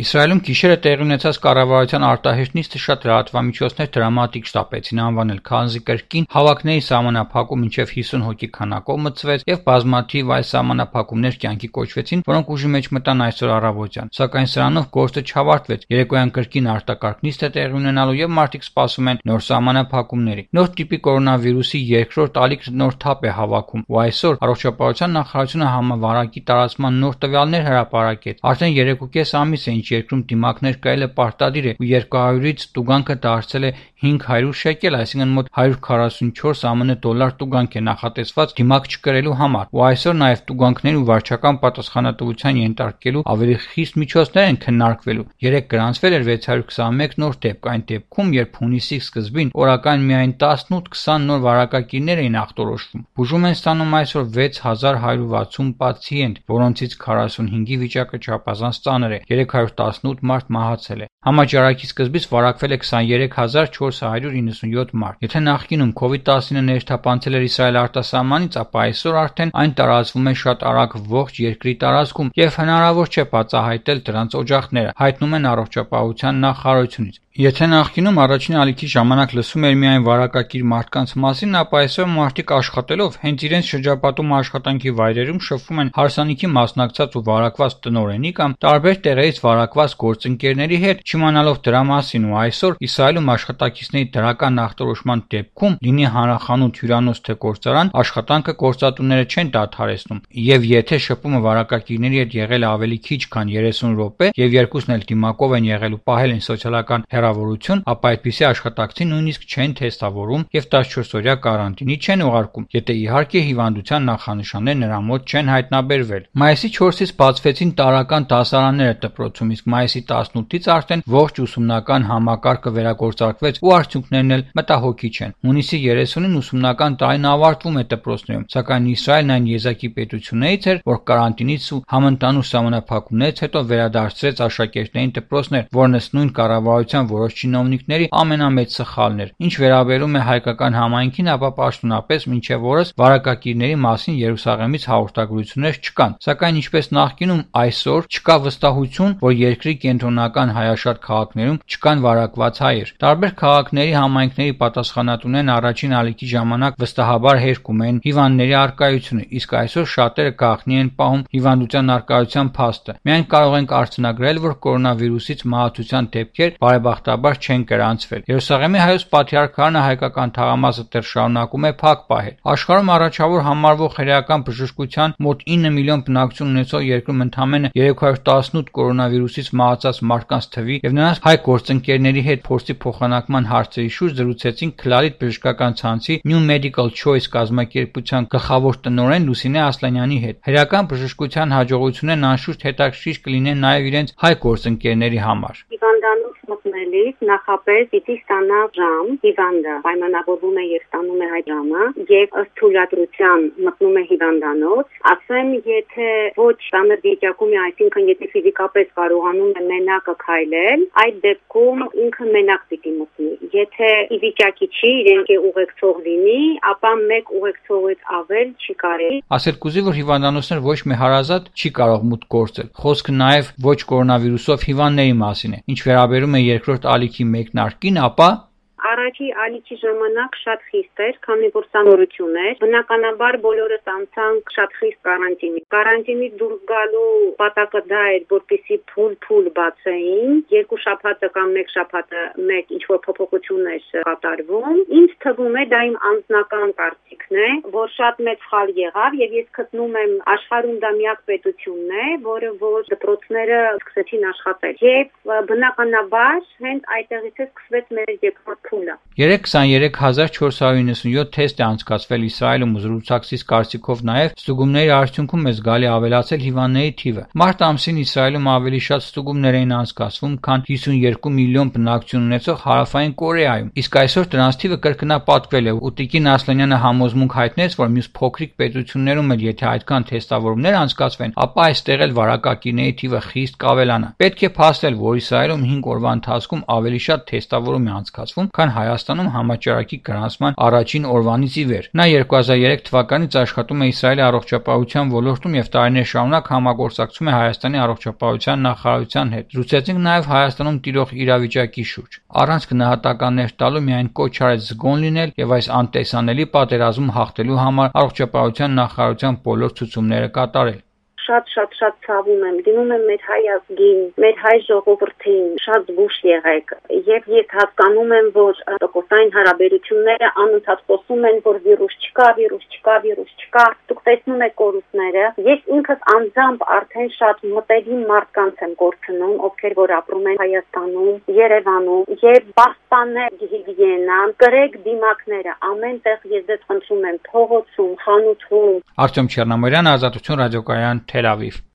Իսրայելում գիշերը տեղի ունեցած կառավարության արտահերթ նիստը շատ լրատվամիջոցներ դրամատիկ շտապեցին անվանել, քանզի կրկին հավաքների սահմանափակում մինչև 50 հոգի քանակով մտցվեց եւ բազմաթիվ այլ սահմանափակումներ կյանքի կոչվեցին, որոնք ուժի մեջ մտան այսօր առավոտյան։ Սակայն սրանով գործը չավարտվեց։ Երեկոյան կրկին արտակարգ նիստ է տեղի ունենալու եւ մարդիկ սպասում են նոր սահմանափակումների։ Նոր տիպի կորոնավիրուսի երկրորդ ալիքը նոր թափ է հավաքում, ու այսօր առողջապահության նախարարությունը համավարակի տարածման նոր տվյալներ հրապարակեց։ Արդեն 3.5 ամիս է ինչ երկրում դիմակներ կայելը պարտադիր է, ու 200-ից տուգանքը դարձել է 500 շեկել, այսինքն մոտ 144 ԱՄՆ դոլար տուգանք է նախատեսված դիմակ չկրելու համար, ու այսօր նաև տուգանքների ու վարչական պատասխանատվության ենթարկելու ավելի խիստ միջոցներ են քննարկվելու։ Երեկ գրանցվել էր 621 նոր դեպք, այն դեպքում, երբ հունիսի սկզբին օրական միայն 18-20 նոր վարակագիրներ էին ախտորոշվում։ Բուժում են ստանում այսօր 6160 պացիենտ, որոնցից 45-ի վիճակը չափազանց ծանր է, 318 մարդ մահացել է։ Համաճարակի սկզբից վարակվել է 23497 մարդ։ Եթե նախկինում COVID-19 ներթափանցել էր Իսրայել արտասահմանից, ապա այսօր արդեն այն տարածվում է շատ արագ ողջ երկրի տարածքում եւ հնարավոր չէ բացահայտել դրանց օջախները, հայտնում են առողջապահության նախարարությունից։ Եթե նախկինում առաջին ալիքի ժամանակ լսում էր միայն վարակակիր մարդկանց մասին, ապա այսօր մարդիկ աշխատելով հենց իրենց շրջապատում աշխատանքի վայրերում շփվում են հարսանիքի մասնակցած ու վարակված տնօրենի կամ տարբեր տեղերից վարակված գործընկերների հետ, չիմանալով դրա մասին, ու այսօր Իսրայելում աշխատակիցների դրական ախտորոշման դեպքում լինի հանրախանութ, հյուրանոց թե գործարան, աշխատանքը գործատուները չեն դադարեցնում, եւ եթե շփումը վարակակիրների հետ եղել է ավելի քիչ քան 30 րոպե եւ երկուսն էլ դիմակով են եղել ու պահել են սոցիալական հեռավորություն, ապա այդպիսի աշխատակցին նույնիսկ չեն թեստավորում եւ 14-օրյա կարանտինի չեն ուղարկում, եթե իհարկե հիվանդության նախանշաններ նրա մոտ չեն հայտնաբերվել։ Մայիսի 4-ից բացվեցին տարրական դասարանները դպրոցում, իսկ մայիսի 18-ից արդեն ողջ ուսումնական համակարգը վերագործարկվեց ու արդյունքներն էլ մտահոգիչ են։ Հունիսի 30-ին ուսումնական տարին ավարտվում է դպրոցներում, սակայն Իսրայելն այն եզակի պետություններից էր, որ կարանտինից ու համընդհանուր սահմանափակումներից հետո վերադարձրեց աշակերտներին դպրոցներ, որն ըստ նույն կառավարության որոշ չինովնիկների ամենամեծ սխալն էր։ Ինչ վերաբերում է հայկական համայնքին, ապա պաշտոնապես մինչև օրս վարակակիրների մասին Երուսաղեմից հաղորդագրություններ չկան, սակայն ինչպես նախկինում, այսօր չկա վստահություն, որ երկրի կենտրոնական հայաշատ քաղաքներում չկան վարակված հայեր։ Տարբեր քաղաքների համայնքների պատասխանատուներն առաջին ալիքի ժամանակ վստահաբար հերքում են հիվանդների առկայությունը, իսկ այսօր շատերը գաղտնի են պահում հիվանդության առկայության փաստը։ Միայն կարող ենք արձանագրել, որ կորոնավիրուսից մահացության դեպքեր բարեբախտաբար չեն գրանցվել։ Երուսաղեմի հայոց պատրիարքարանը հայկական թաղամասը դեռ շարունակում է փակ պահել։ Աշխարհում առաջավոր համարվող հրեական բժշկության մոտ 9 միլիոն բնակչություն ունեցող երկրում ընդամենը 318 կորոնավիրուսից մահացած մարդկանց թվի եւ նրանց հայ գործընկերների հետ փորձի փոխանակման հարցերի շուրջ զրուցեցին Քլարիտ բժշկական ցանցի New Medical Choice կազմակերպության գլխավոր տնօրեն Լուսինե Ասլանյանի հետ։ Հրեական բժշկության հաջողություններն անշուշտ հետաքրքիր կլինեն նաեւ իրենց հայ գործընկերների համար։ Հիվանդանոց մտնելիս նախապես պիտի ստանա ժամ, հիվանդը պայմանավորվում է եւ ստանում է այդ ժամը եւ ըստ թույլատրության մտնում է հիվանդանոց, ասեմ, եթե ոչ ծանր վիճակում է, այսինքն եթե ֆիզիկապես կարողանում է մենակը քայլել, այդ դեպքում ինքը մենակ պիտի մտնի։ Եթե ի վիճակի չի, իրենք ուղեկցող լինի, ապա մեկ ուղեկցողից ավել չի կարելի։ Ասել կուզի, որ հիվանդանոցներ ոչ մի հարազատ չի կարող մուտք գործել։ Խոսքը նաեւ ոչ կորոնավիրուսով հիվանդների մասին է։ Ինչ վերաբերում է երկրորդ ալիքի մեկնարկին, ապա Առաջի ալիքի ժամանակ շատ խիստ էր, քանի որ սա նորություն էր։ Բնականաբար բոլորս անցանք շատ խիստ կարանտինի։ Կարանտինից դուրս գալու պատակը դա էր, որպեսզի փուլ բացեին։ Երկու շաբաթը կամ մեկ շաբաթը մեկ ինչ որ փոփոխություն էր կատարվում։ Ինձ թվում է դա իմ անձնական կարծիքն է, որ շատ մեծ սխալ եղավ եւ ես գտնում եմ աշխարհում դա միակ պետությունն է, որը որ դպրոցները սկսեցին աշխատել։ Եվ բնականաբար հենց այդտեղից է սկսվեց մեր երկրորդ փուլը։ 32497 թեստ է անցկացվել Իսրայելում ու զրուցակցից կարծիքով նաև ստուգումների արդյունքում է զգալի ավելացել հիվանդների թիվը։ Մարտ ամսին Իսրայելում ավելի շատ ստուգումներ էին անցկացվում, քան 52 միլիոն բնակչություն ունեցող Հարավային Կորեայում, իսկ այսօր դրանց թիվը կրկնապատկվել է, ու Տիկին Ասլանյանը համոզմունք հայտնեց, որ մյուս փոքրիկ պետություններում էլ եթե այդքան թեստավորումներ անցկացվեն, ապա այստեղ էլ վարակակիրների թիվը խիստ կավելանա։ Պետք է փաստել, որ Իսրայելում 5 օրվա ընթացքում ավելի շատ թեստավորում է անցկացվում, քան Հայաստանում համաճարակի գրանցման առաջին օրվանից ի վեր։ Նա 2003 թվականից աշխատում է Իսրայելի առողջապահության ոլորտում եւ տարիներ շարունակ համագործակցում է Հայաստանի առողջապահության նախարարության հետ։ Զրուցեցինք նաեւ Հայաստանում տիրող իրավիճակի շուրջ։ Առանց գնահատականներ տալու միայն կոչ արեց զգոն լինել եւ այս անտեսանելի պատերազմում հաղթելու համար առողջապահության նախարարության բոլոր ցուցումները կատարել։ Շատ ցավում եմ, դիմում եմ մեր հայ ազգին, մեր հայ ժողովրդին, շատ զգուշ եղեք եւ ես հասկանում եմ, որ տոկոսային հարաբերությունները անընդհատ խոսում են, որ վիրուս չկա, դուք տեսնում եք կորուստները։ Ես ինքս անձամբ արդեն շատ մտերիմ մարդկանց եմ կորցնում, ովքեր որ ապրում են Հայաստանում, Երևանում եւ պաշտպանել հիգիենան, կրեք դիմակները ամենտեղ ես ձեզ խնդրում եմ, փողոցում, խանութում։ Արտյոմ Չեռնամիրյան, Ազատություն ռադիոկայան, Թել Ավիվ։